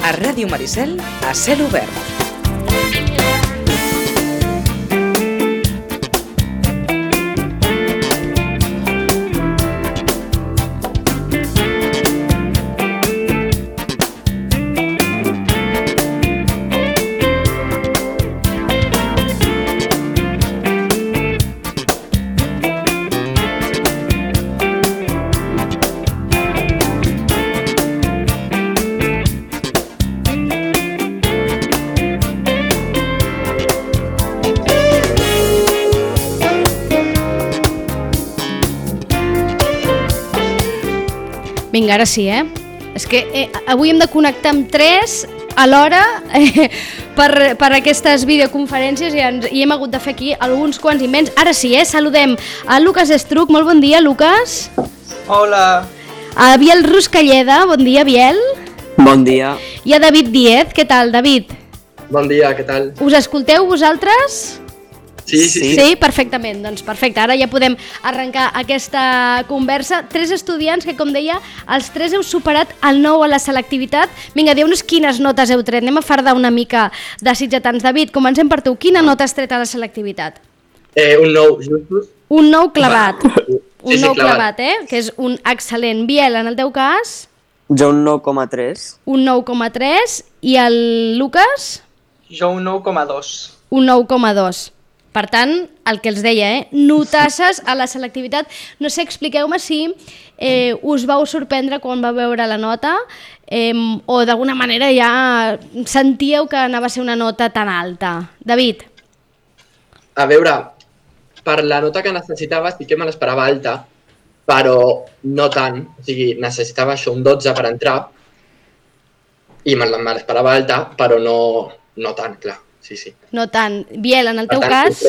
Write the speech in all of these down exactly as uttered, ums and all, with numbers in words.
A Ràdio Maricel, a cel obert. Vinga, ara sí, eh? És que eh, avui hem de connectar amb tres alhora eh, per, per aquestes videoconferències i, ens, i hem hagut de fer aquí alguns quants invents. Ara sí, eh? Saludem a Lucas Estruc. Molt bon dia, Lucas. Hola. A Biel Ruscalleda. Bon dia, Biel. Bon dia. I a David Díez. Què tal, David? Bon dia, què tal? Us escolteu vosaltres? Sí, sí, sí. Sí, perfectament. Doncs perfecte, ara ja podem arrencar aquesta conversa. Tres estudiants que, com deia, els tres heu superat el nou a la selectivitat. Vinga, diu-nos quines notes heu tret. Anem a fardar una mica de sitgetans. David, comencem per tu. Quina nota has tret a la selectivitat? Eh, un nou, justos. Un nou clavat. Sí, un sí, nou clavat. clavat, eh? Que és un excel·lent. Biel, en el teu cas? Jo un nou coma tres. Un nou coma tres. I el Lucas? Jo un nou coma dos. Un nou coma dos. Per tant, el que els deia, eh? Notasses a la selectivitat. No sé, expliqueu-me si eh, us vau sorprendre quan vau veure la nota eh, o d'alguna manera ja sentíeu que anava a ser una nota tan alta. David? A veure, per la nota que necessitava sí que me l'esperava alta, però no tant. O sigui, necessitava això, un dotze per entrar, i me l'esperava alta, però no, no tant, clar. Sí, sí. No tant. Biel, en el teu tant, cas?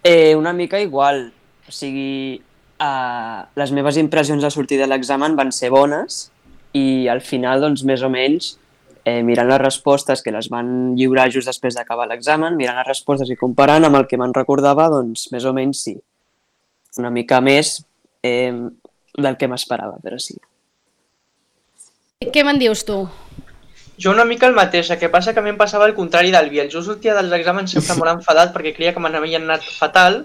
Eh, una mica igual. O sigui, eh, les meves impressions de sortir de l'examen van ser bones i al final, doncs, més o menys, eh, mirant les respostes que les van lliurar just després d'acabar l'examen, mirant les respostes i comparant amb el que me'n recordava, doncs, més o menys sí. Una mica més eh, del que m'esperava, però sí. Què me'n dius tu? Jo una mica el mateix, el que passa que a mi em passava el contrari del Biel. Jo sortia dels exàmens sempre molt enfadat perquè creia que me n'havien anat fatal.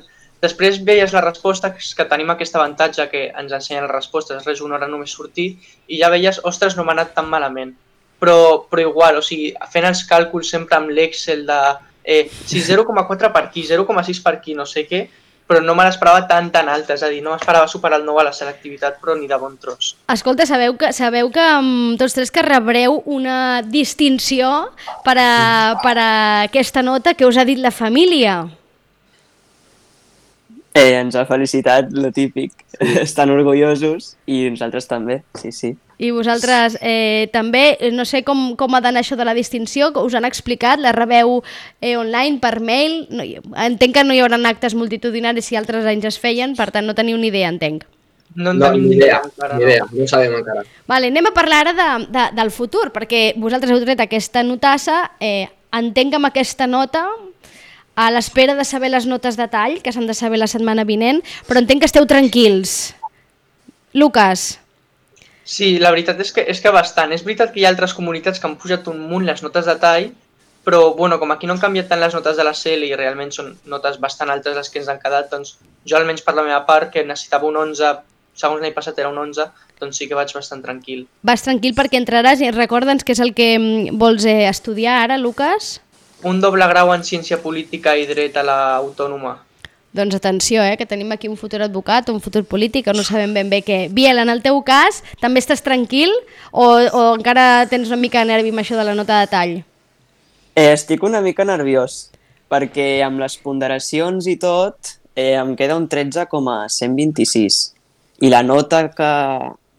Després veies la resposta, que tenim aquest avantatge que ens ensenyen les respostes, res, una hora només sortir, i ja veies, ostres, no m'ha anat tan malament. Però, però igual, o sigui, fent els càlculs sempre amb l'Excel de eh, si zero coma quatre per aquí, zero coma sis per aquí, no sé què, però no me l'esperava tan tan alta, és a dir, no m'esperava superar el nou a la selectivitat, però ni de bon tros. Escolta, sabeu que, sabeu que um, tots tres que rebreu una distinció per a, per a aquesta nota que us ha dit la família? Eh, ens ha felicitat, lo típic. Estan orgullosos i nosaltres també, sí, sí. I vosaltres eh, també, no sé com, com ha d'anar això de la distinció, us han explicat, la rebeu eh, online, per mail? No, entenc que no hi haurà actes multitudinaris si altres anys es feien, per tant no teniu ni idea, entenc. No en tenim ni idea, encara, ni idea, no ho sabem encara. Vale, anem a parlar ara de, de, del futur, perquè vosaltres heu tret aquesta notassa, eh, entenc que amb aquesta nota, a l'espera de saber les notes de tall, que s'han de saber la setmana vinent, però entenc que esteu tranquils. Lucas? Sí, la veritat és que, és que bastant. És veritat que hi ha altres comunitats que han pujat un munt les notes de tall, però bueno, com aquí no han canviat tant les notes de la C L i realment són notes bastant altes les que ens han quedat, doncs jo almenys per la meva part, que necessitava un onze, segons l'any passat era un onze, doncs sí que vaig bastant tranquil. Vas tranquil perquè entraràs i recorda'ns què és el que vols eh, estudiar ara, Lucas? Un doble grau en Ciència Política i Dret a l'Autònoma. Doncs atenció, eh, que tenim aquí un futur advocat, un futur polític, que no sabem ben bé què. Biel, en el teu cas, també estàs tranquil o, o encara tens una mica de nervi amb això de la nota de tall? Eh, estic una mica nerviós, perquè amb les ponderacions i tot eh, em queda un tretze coma cent vint-i-sis i la nota que,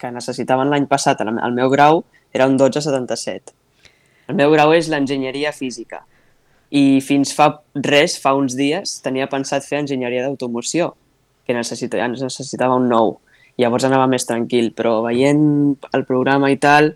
que necessitaven l'any passat al meu grau era un dotze coma setanta-set. El meu grau és l'enginyeria física. I fins fa res, fa uns dies, tenia pensat fer enginyeria d'automoció, que necessitava, necessitava un nou. Llavors anava més tranquil, però veient el programa i tal,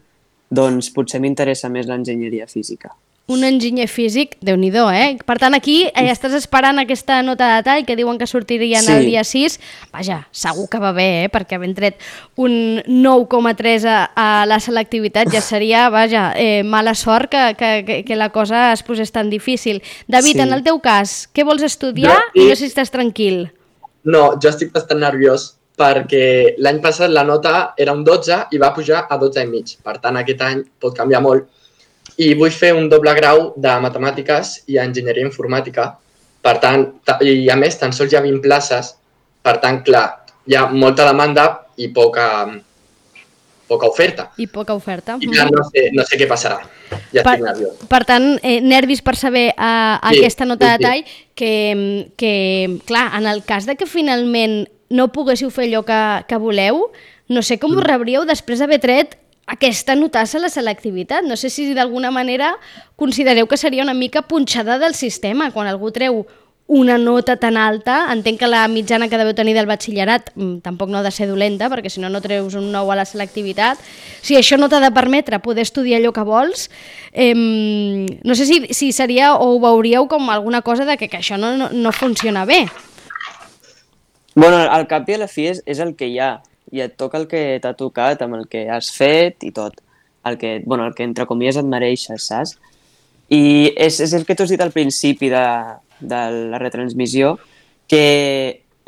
doncs potser m'interessa més l'enginyeria física. Un enginyer físic, Déu-n'hi-do, eh? Per tant, aquí eh, estàs esperant aquesta nota de detall que diuen que sortirien Sí. el dia sis. Vaja, segur que va bé, eh? Perquè havent tret un nou coma tres a, a la selectivitat ja seria, vaja, eh, mala sort que, que, que, que la cosa es posés tan difícil. David, Sí. en el teu cas, què vols estudiar Jo- i no sé si estàs tranquil? No, jo estic bastant nerviós perquè l'any passat la nota era un dotze i va pujar a dotze i mig. Per tant, aquest any pot canviar molt. I vull fer un doble grau de matemàtiques i enginyeria informàtica. Per tant, ta- i a més, tan sols hi ha vint places. Per tant, clar, hi ha molta demanda i poca, poca oferta. I poca oferta. I clar, no sé, no sé què passarà. Ja estic nerviós. Per tant, eh, nervis per saber eh, Sí, aquesta nota de sí, sí. detall, que, que, clar, en el cas de que finalment no poguéssiu fer allò que, que voleu, no sé com Mm. us rebríeu després d'haver tret aquesta notassa a la selectivitat. No sé si d'alguna manera considereu que seria una mica punxada del sistema. Quan algú treu una nota tan alta, entenc que la mitjana que deveu tenir del batxillerat mm, tampoc no ha de ser dolenta, perquè si no, no treus un nou a la selectivitat. Si això no t'ha de permetre poder estudiar allò que vols, eh, no sé si, si seria o ho veuríeu com alguna cosa de que, que això no, no, no funciona bé. Bueno, al cap i a la fi és, és el que hi ha. I et toca el que t'ha tocat, amb el que has fet i tot. El que, bueno, el que entre comies et mereixes, saps? I és, és el que tu has dit al principi de, de la retransmissió, que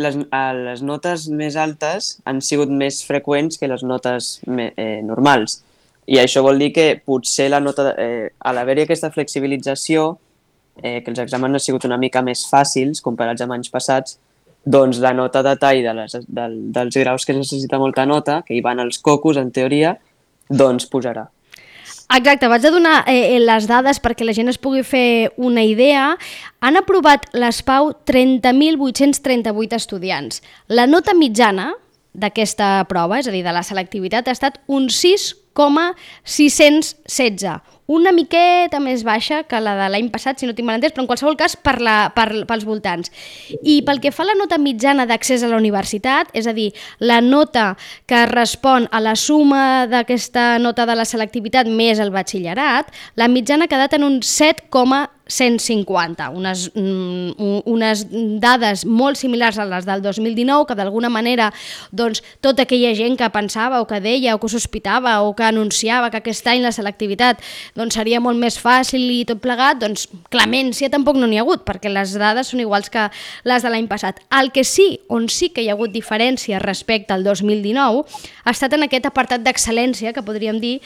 les, a les notes més altes han sigut més freqüents que les notes me, eh, normals. I això vol dir que potser la nota, eh, a l'haver-hi aquesta flexibilització, eh, que els exàmens han sigut una mica més fàcils comparats amb anys passats, doncs la nota de tall de les, del, dels graus que es necessita molta nota, que hi van els cocos, en teoria, doncs pujarà. Exacte, vaig a donar eh, les dades perquè la gent es pugui fer una idea. Han aprovat les Pau trenta mil vuit-cents trenta-vuit estudiants. La nota mitjana d'aquesta prova, és a dir, de la selectivitat, ha estat un sis coma sis-cents setze, una miqueta més baixa que la de l'any passat, si no tinc mal entès, però en qualsevol cas per la, per, pels voltants. I pel que fa a la nota mitjana d'accés a la universitat, és a dir, la nota que respon a la suma d'aquesta nota de la selectivitat més el batxillerat, la mitjana ha quedat en un set coma cent cinquanta, unes, mm, unes dades molt similars a les del dos mil dinou, que d'alguna manera doncs, tota aquella gent que pensava o que deia o que sospitava o que anunciava que aquest any la selectivitat doncs, seria molt més fàcil i tot plegat, doncs clemència tampoc no n'hi ha hagut, perquè les dades són iguals que les de l'any passat. El que sí, on sí que hi ha hagut diferència respecte al dos mil dinou, ha estat en aquest apartat d'excel·lència, que podríem dir,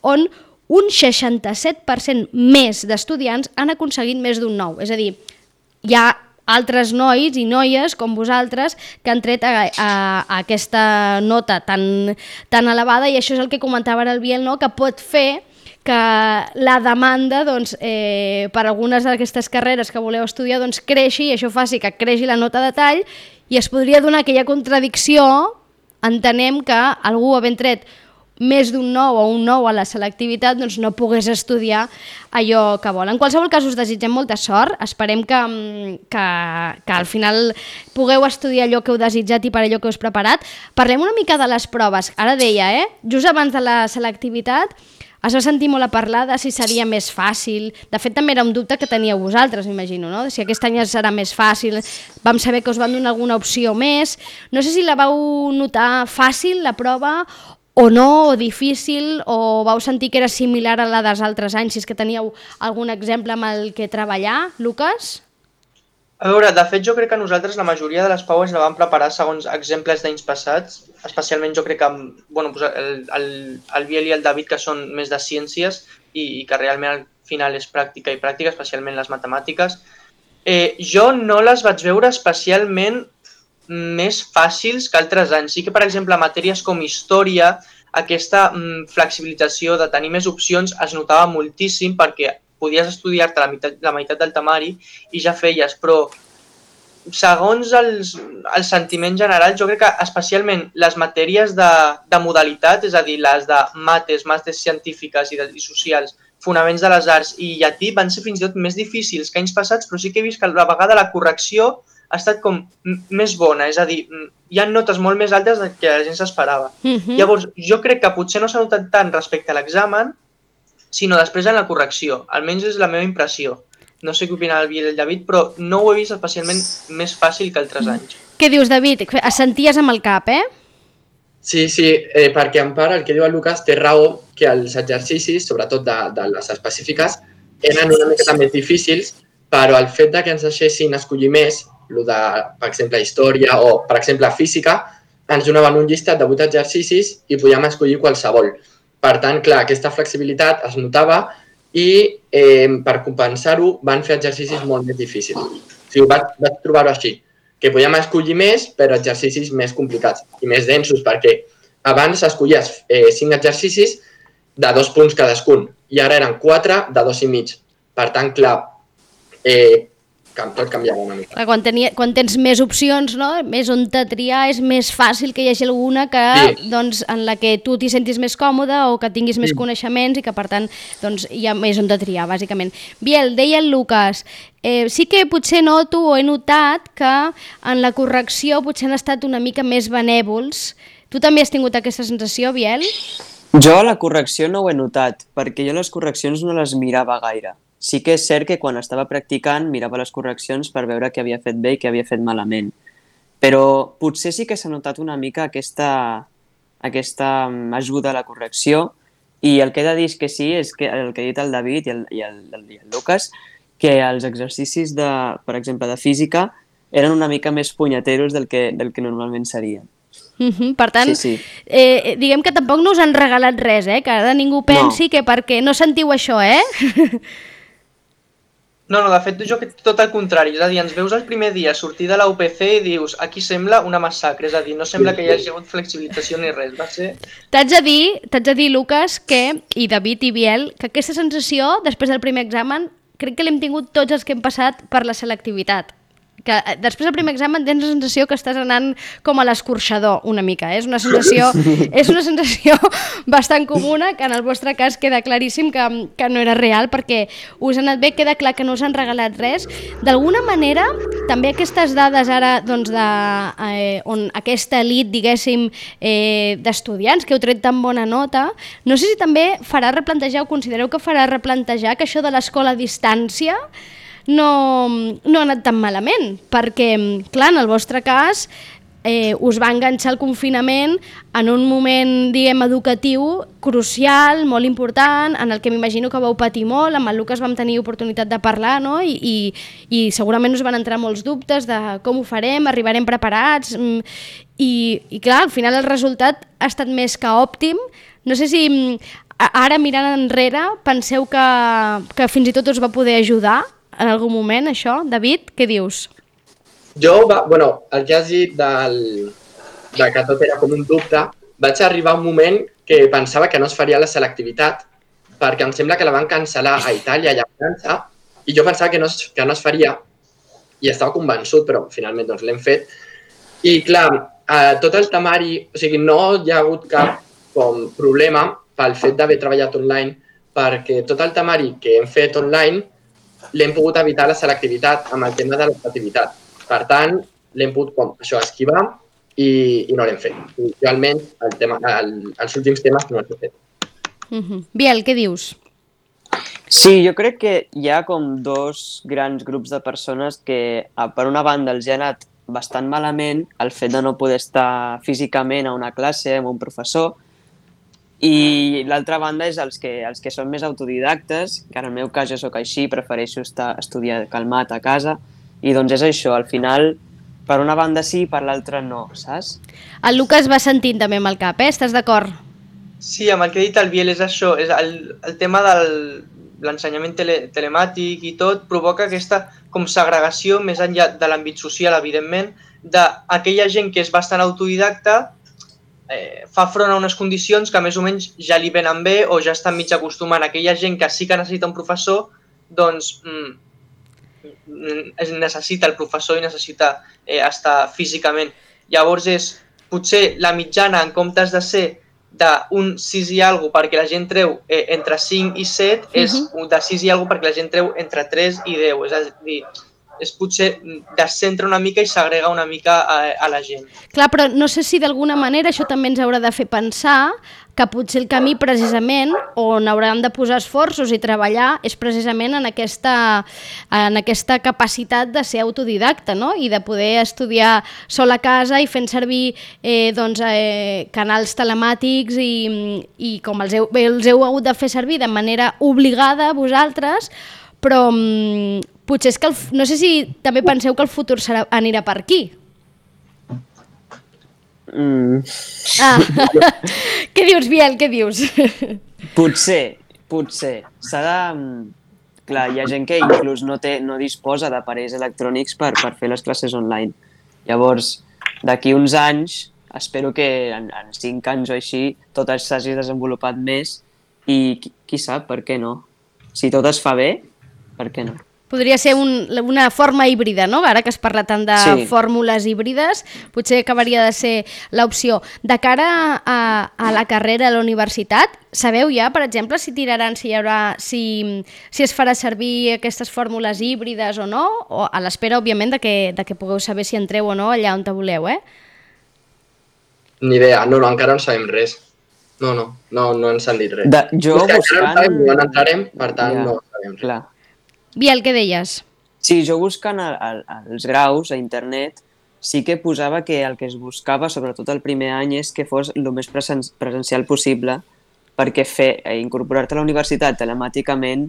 on un seixanta-set per cent més d'estudiants han aconseguit més d'un nou. És a dir, hi ha altres nois i noies com vosaltres que han tret a, a, a aquesta nota tan, tan elevada, i això és el que comentava ara el Biel, no? Que pot fer que la demanda doncs, eh, per algunes d'aquestes carreres que voleu estudiar doncs, creixi, i això faci que creixi la nota de tall, i es podria donar aquella contradicció, entenem que algú havent tret més d'un nou o un nou a la selectivitat doncs no pogués estudiar allò que vol. En qualsevol cas us desitgem molta sort, esperem que, que, que al final pugueu estudiar allò que heu desitjat i per allò que us preparat. Parlem una mica de les proves. Ara deia, eh? just abans de la selectivitat es va sentir molt a parlar de si seria més fàcil. De fet, també era un dubte que teníeu vosaltres, m'imagino, no? Si aquest any serà més fàcil. Vam saber que us van donar alguna opció més. No sé si la vau notar fàcil, la prova, o no, o difícil, o vau sentir que era similar a la dels altres anys, si és que teníeu algun exemple amb el que treballar, Lucas? A veure, de fet jo crec que nosaltres la majoria de les paues la vam preparar segons exemples d'anys passats, especialment jo crec que bueno, el, el, el Biel i el David, que són més de ciències i, i que realment al final és pràctica i pràctica, especialment les matemàtiques. Eh, jo no les vaig veure especialment més fàcils que altres anys. Sí que, per exemple, matèries com història, aquesta mm, flexibilització de tenir més opcions es notava moltíssim perquè podies estudiar-te la meitat, la meitat del temari i ja feies, però segons els, el sentiment general, jo crec que especialment les matèries de, de modalitat, és a dir, les de mates, mates científiques i, de, i socials, fonaments de les arts i llatí, van ser fins i tot més difícils que anys passats, però sí que he vist que a la vegada la correcció ha estat com més bona, és a dir, hi ha notes molt més altes del que la gent s'esperava. Uh-huh. Llavors, jo crec que potser no s'ha notat tant respecte a l'examen, sinó després en la correcció. Almenys és la meva impressió. No sé què opina el Biel i el David, però no ho he vist especialment més fàcil que altres anys. Què dius, David? Assenties amb el cap, eh? Sí, sí, eh, perquè en part el que diu el Lucas té raó que els exercicis, sobretot de, de les específiques, eren una mica més difícils, però el fet de que ens deixessin escollir més, el de, per exemple, història o, per exemple, física, ens donaven un llistat de vuit exercicis i podíem escollir qualsevol. Per tant, clar, aquesta flexibilitat es notava i eh, per compensar-ho van fer exercicis molt més difícils. O sigui, vaig, vaig trobar-ho així, que podíem escollir més, però exercicis més complicats i més densos, perquè abans escollies eh, cinc exercicis de dos punts cadascun i ara eren quatre de dos i mig. Per tant, clar, eh, tot canviava una mica. Clar, quan, tenia, quan tens més opcions, no? Més on te triar, és més fàcil que hi hagi alguna que, sí. doncs, en la que tu t'hi sentis més còmode o que tinguis més sí. coneixements i que, per tant, doncs, hi ha més on te triar, bàsicament. Biel, deia el Lucas, eh, sí que potser noto o he notat que en la correcció potser han estat una mica més benèvols. Tu també has tingut aquesta sensació, Biel? Jo a la correcció no ho he notat, perquè jo les correccions no les mirava gaire. Sí que és cert que quan estava practicant mirava les correccions per veure què havia fet bé i què havia fet malament. Però potser sí que s'ha notat una mica aquesta, aquesta ajuda a la correcció i el que he de dir és que sí, és que el que ha dit el David i el, i el, i el Lucas, que els exercicis, de, per exemple, de física eren una mica més punyeteros del que, del que normalment serien. Uh-huh. Per tant, sí, sí. Eh, diguem que tampoc no us han regalat res, eh? Que ara ningú pensi no. que perquè no sentiu això, eh? No, no, de fet, jo que tot el contrari, és a dir, ens veus el primer dia sortir de la U P C i dius, aquí sembla una massacre, és a dir, no sembla que hi hagi hagut flexibilització ni res, va ser... T'haig de dir, t'haig de dir, Lucas, que, i David i Biel, que aquesta sensació, després del primer examen, crec que l'hem tingut tots els que hem passat per la selectivitat. Que després del primer examen tens la sensació que estàs anant com a l'escorxador una mica, eh? és una sensació és una sensació bastant comuna, que en el vostre cas queda claríssim que, que no era real, perquè us ha anat bé, queda clar que no us han regalat res. D'alguna manera, també aquestes dades ara, doncs, de, eh, on aquesta elit, diguéssim, eh, d'estudiants que heu tret tan bona nota, no sé si també farà replantejar, o considereu que farà replantejar que això de l'escola a distància no, no ha anat tan malament, perquè, clar, en el vostre cas eh, us va enganxar el confinament en un moment, diguem, educatiu crucial, molt important, en el que m'imagino que vau patir molt, amb el Lucas vam tenir oportunitat de parlar, no? I, i, i segurament us van entrar molts dubtes de com ho farem, arribarem preparats, i, i clar, al final el resultat ha estat més que òptim. No sé si ara, mirant enrere, penseu que, que fins i tot us va poder ajudar en algun moment, això? David, què dius? Jo, va, bueno, el que has dit del, de que tot era com un dubte, vaig arribar a un moment que pensava que no es faria la selectivitat, perquè em sembla que la van cancel·lar a Itàlia i a França, i jo pensava que no, es, que no es faria, i estava convençut, però finalment doncs, l'hem fet. I clar, eh, tot el temari, o sigui, no hi ha hagut cap com, problema pel fet d'haver treballat online, perquè tot el temari que hem fet online l'hem pogut evitar la selectivitat amb el tema de l'optativitat. Per tant, l'hem pogut com, això, esquivar i, i no l'hem fet. I, jo almenys el tema, el, els últims temes no els he fet. Uh-huh. Biel, què dius? Sí, jo crec que hi ha com dos grans grups de persones que per una banda els ha anat bastant malament el fet de no poder estar físicament a una classe amb un professor, i l'altra banda és els que, els que són més autodidactes, que en el meu cas jo sóc així, prefereixo estar, estudiar calmat a casa, i doncs és això, al final, per una banda sí, per l'altra no, saps? El Lucas va sentint també amb el cap, eh? Estàs d'acord? Sí, amb el que ha dit el Biel és això, és el, el tema de l'ensenyament tele, telemàtic i tot, provoca aquesta com segregació més enllà de l'àmbit social, evidentment, d'aquella gent que és bastant autodidacta, Eh, fa front a unes condicions que més o menys ja li venen bé o ja estan mig acostumant. Aquella gent que sí que necessita un professor, doncs mm, necessita el professor i necessita eh, estar físicament. Llavors és potser la mitjana, en comptes de ser d'un sis i alguna cosa perquè la gent treu eh, entre cinc i set, uh-huh. és de sis i alguna cosa perquè la gent treu entre tres i deu. És a dir, és potser descentra una mica i segrega una mica a, a la gent. Clar, però no sé si d'alguna manera això també ens haurà de fer pensar que potser el camí precisament on hauran de posar esforços i treballar és precisament en aquesta, en aquesta capacitat de ser autodidacta, no? I de poder estudiar sol a casa i fent servir eh, doncs, eh, canals telemàtics i, i com els heu, els heu hagut de fer servir de manera obligada vosaltres, però mm, potser és que, el, no sé si també penseu que el futur serà, anirà per aquí. Mm. Ah, què dius, Biel, què dius? Potser, potser. S'ha de... Clar, hi ha gent que inclús no, té, no disposa d'aparells electrònics per, per fer les classes online. Llavors, d'aquí uns anys, espero que en, en cinc anys o així tot s'hagi desenvolupat més i qui, qui sap, per què no? Si tot es fa bé, per què no? Podria ser un, una forma híbrida, no? Ara que es parla tant de sí. fórmules híbrides, potser acabaria de ser l'opció. De cara a, a la carrera a la universitat, sabeu ja, per exemple, si tiraran, si hi haurà, si, si es farà servir aquestes fórmules híbrides o no? O a l'espera, òbviament, de que, de que pugueu saber si entreu o no allà on te voleu, eh? Ni idea, no, no, encara no sabem res. No, no, no, no ens han dit res. De, jo buscant... buscant... Sabem, no entrarem, per tant, ja, no sabem res. Clar. Biel, què deies? Sí, jo buscant el, el, els graus a internet sí que posava que el que es buscava, sobretot el primer any, és que fos el més presen presencial possible perquè fer, eh, incorporar-te a la universitat telemàticament,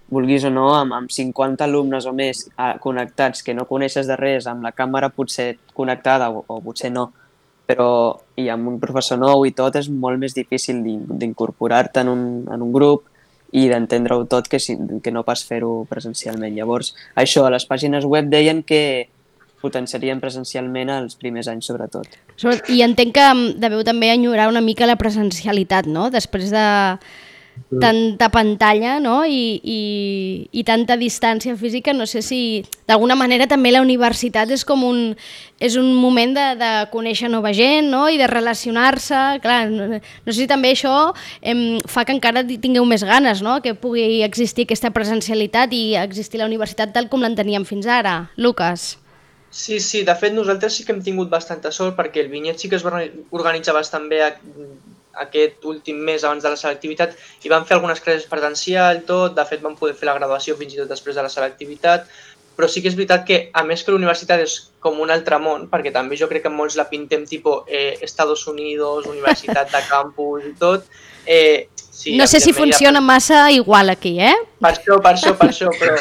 vulguis o no, amb, amb cinquanta alumnes o més eh, connectats que no coneixes de res, amb la càmera potser connectada o, o potser no, però i amb un professor nou i tot és molt més difícil d'incorporar-te en, un, en un grup i d'entendre-ho tot que, si, que no pas fer-ho presencialment. Llavors, això, a les pàgines web deien que potenciarien presencialment els primers anys, sobretot. I entenc que deveu també enyorar una mica la presencialitat, no? Després de tanta pantalla, no? I, i, i tanta distància física, no sé si d'alguna manera també la universitat és com un, és un moment de, de conèixer nova gent, no? I de relacionar-se. Clar, no, no sé si també això em, fa que encara tingueu més ganes, no? Que pugui existir aquesta presencialitat i existir la universitat tal com l'enteníem fins ara. Lucas. Sí, sí, de fet nosaltres sí que hem tingut bastanta sort perquè el Vinyet sí que es va organitzar bastant bé a, aquest últim mes abans de la selectivitat i van fer algunes classes presencial, tot, de fet van poder fer la graduació fins i tot després de la selectivitat, però sí que és veritat que a més que la universitat és com un altre món, perquè també jo crec que molts la pintem tipus eh, Estados Unidos, universitat de campus i tot. Eh, sí, no sé si funciona massa igual aquí, eh? Per això, per això, per això, però...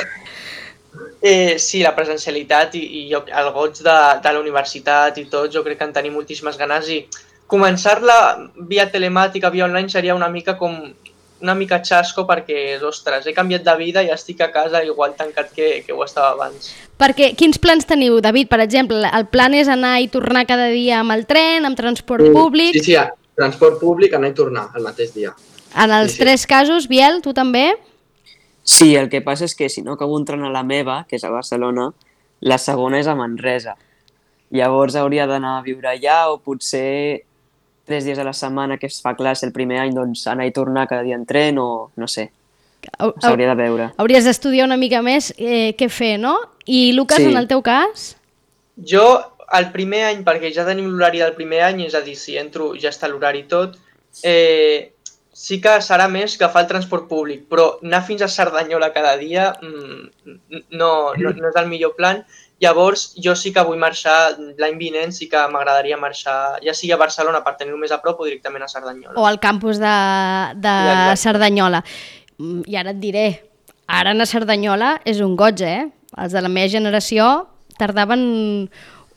Eh, sí, la presencialitat i, i jo, el goig de, de la universitat i tot, jo crec que en tenim moltíssimes ganes i començar-la via telemàtica, via online, seria una mica com una mica xasco perquè, ostres, he canviat de vida i estic a casa igual tancat que, que ho estava abans. Perquè, quins plans teniu, David? Per exemple, el plan és anar i tornar cada dia amb el tren, amb transport mm, públic? Sí, sí, transport públic, anar i tornar el mateix dia. En els sí, sí. tres casos, Biel, tu també? Sí, el que passa és que si no acabo entrant a la meva, que és a Barcelona, la segona és a Manresa. Llavors hauria d'anar a viure allà o potser tres dies a la setmana que es fa classe el primer any, doncs anar i tornar cada dia en tren o no sé. S'hauria de veure. Hauries d'estudiar una mica més eh, què fer, no? I Lucas, sí. En el teu cas? Jo, el primer any, perquè ja tenim l'horari del primer any, és a dir, si entro ja està l'horari tot, eh, sí que serà més agafar el transport públic, però anar fins a Cerdanyola cada dia mmm, no, no, no és el millor plan. Llavors, jo sí que vull marxar l'any vinent, sí que m'agradaria marxar, ja sigui a Barcelona per tenir-ho més a prop o directament a Cerdanyola. O al campus de, de ja, Cerdanyola. I ara et diré, ara anar a Cerdanyola és un goig, eh? Els de la meva generació tardaven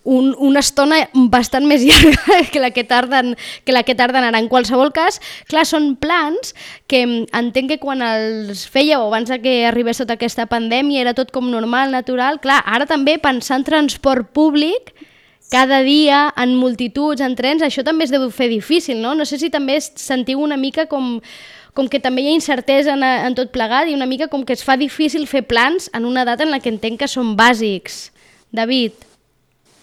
un, una estona bastant més llarga que la que tarden, que la que tarden ara. En qualsevol cas, clar, són plans que entenc que quan els fèieu abans que arribés tota aquesta pandèmia era tot com normal, natural. Clar, ara també pensar en transport públic cada dia, en multituds, en trens, això també es deu fer difícil, no? No sé si també sentiu una mica com, com que també hi ha incertesa en, en tot plegat i una mica com que es fa difícil fer plans en una data en la que entenc que són bàsics. David?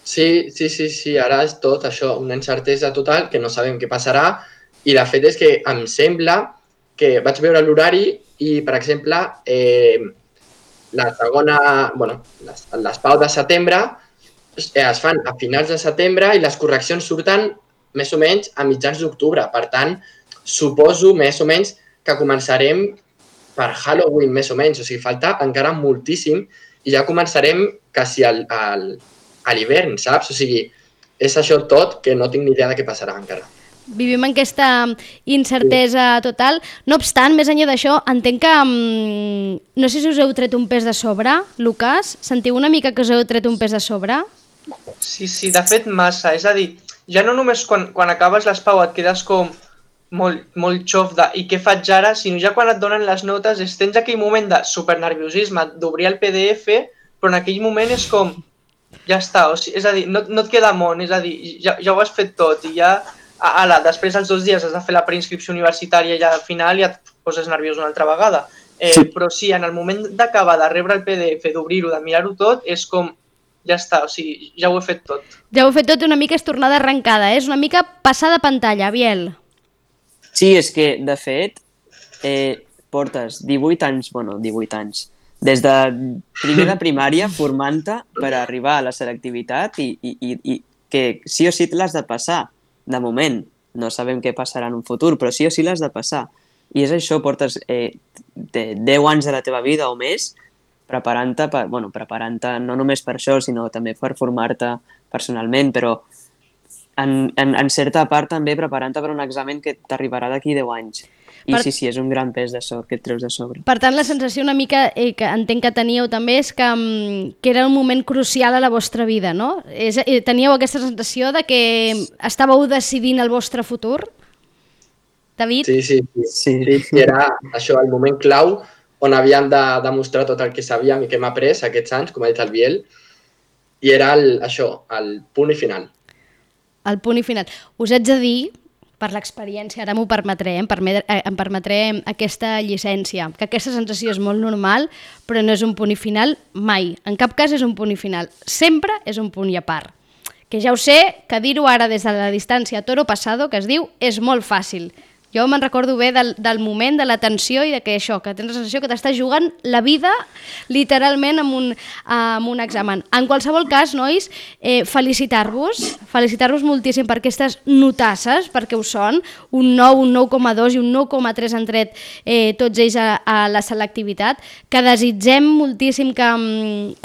Sí, sí, sí, sí, ara és tot això, una incertesa total, que no sabem què passarà, i de fet és que em sembla que vaig veure l'horari i, per exemple, eh, la segona, bueno, les, les pau de setembre eh, es fan a finals de setembre i les correccions surten més o menys a mitjans d'octubre. Per tant, o suposo més o menys que començarem per Halloween més o menys, o sigui, falta encara moltíssim i ja començarem quasi al, al, a l'hivern, saps? O sigui, és això tot que no tinc ni idea de què passarà encara. Vivim en aquesta incertesa total. No obstant, més enllà d'això, entenc que... Um, no sé si us heu tret un pes de sobre, Lucas. Sentiu una mica que us heu tret un pes de sobre? Sí, sí, de fet massa. És a dir, ja no només quan, quan acabes l'espau et quedes com molt, molt xof de i què faig ara, sinó ja quan et donen les notes és, tens aquell moment de supernerviosisme, d'obrir el P D F, però en aquell moment és com, ja està, o sigui, és a dir, no, no et queda món, és a dir, ja, ja ho has fet tot i ja... Ala, després els dos dies has de fer la preinscripció universitària i al final ja et poses nerviós una altra vegada. Eh, sí. Però sí, en el moment d'acabar de rebre el P D F, d'obrir-ho, de mirar-ho tot, és com, ja està, o sigui, ja ho he fet tot. Ja ho he fet tot, una mica és tornada arrencada, eh? És una mica passada pantalla, Biel. Sí, és que, de fet, eh, portes divuit anys, bueno, divuit anys, des de primer de primària formant-te per arribar a la selectivitat i, i, i, i que sí o sí l'has de passar. De moment, no sabem què passarà en un futur, però sí o sí l'has de passar. I és això, portes eh, deu anys de la teva vida o més preparant-te, per, bueno, preparant-te no només per això, sinó també per formar-te personalment, però en, en, en certa part també preparant-te per un examen que t'arribarà d'aquí deu anys. I per... sí, sí, és un gran pes de so, que et treus de sobre. Per tant, la sensació una mica eh, que entenc que teníeu també és que, que era un moment crucial a la vostra vida, no? És, eh, teníeu aquesta sensació de que estàveu decidint el vostre futur? David? Sí, sí, sí. sí. sí era això, el moment clau on havíem de demostrar tot el que sabíem i que hem après aquests anys, com ha dit el Biel, i era el, això, el punt i final. El punt i final. Us haig de dir, per l'experiència, ara m'ho permetré, em, permet, eh, em permetré aquesta llicència, que aquesta sensació és molt normal, però no és un punt i final mai. En cap cas és un punt i final. Sempre és un punt i a part. Que ja ho sé, que dir-ho ara des de la distància toro passado, que es diu, és molt fàcil. Jo me'n recordo bé del, del moment, de la tensió i de que això, que tens la sensació que t'estàs jugant la vida literalment amb un, amb un examen. En qualsevol cas, nois, eh, felicitar-vos, felicitar-vos moltíssim per aquestes notasses, perquè ho són, un nou, un nou coma dos i un nou coma tres han tret eh, tots ells a, a la selectivitat, que desitgem moltíssim que,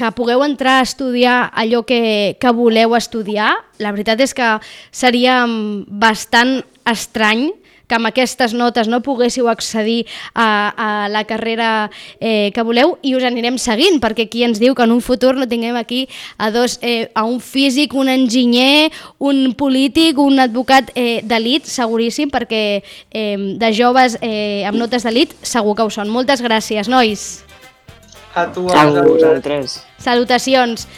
que pugueu entrar a estudiar allò que, que voleu estudiar. La veritat és que seria bastant estrany que amb aquestes notes no poguéssiu accedir a, a la carrera eh, que voleu i us anirem seguint, perquè qui ens diu que en un futur no tinguem aquí a, dos, eh, a un físic, un enginyer, un polític, un advocat eh, d'elit, seguríssim, perquè eh, de joves eh, amb notes d'elit segur que ho són. Moltes gràcies, nois. A tu, a vosaltres. Salutacions.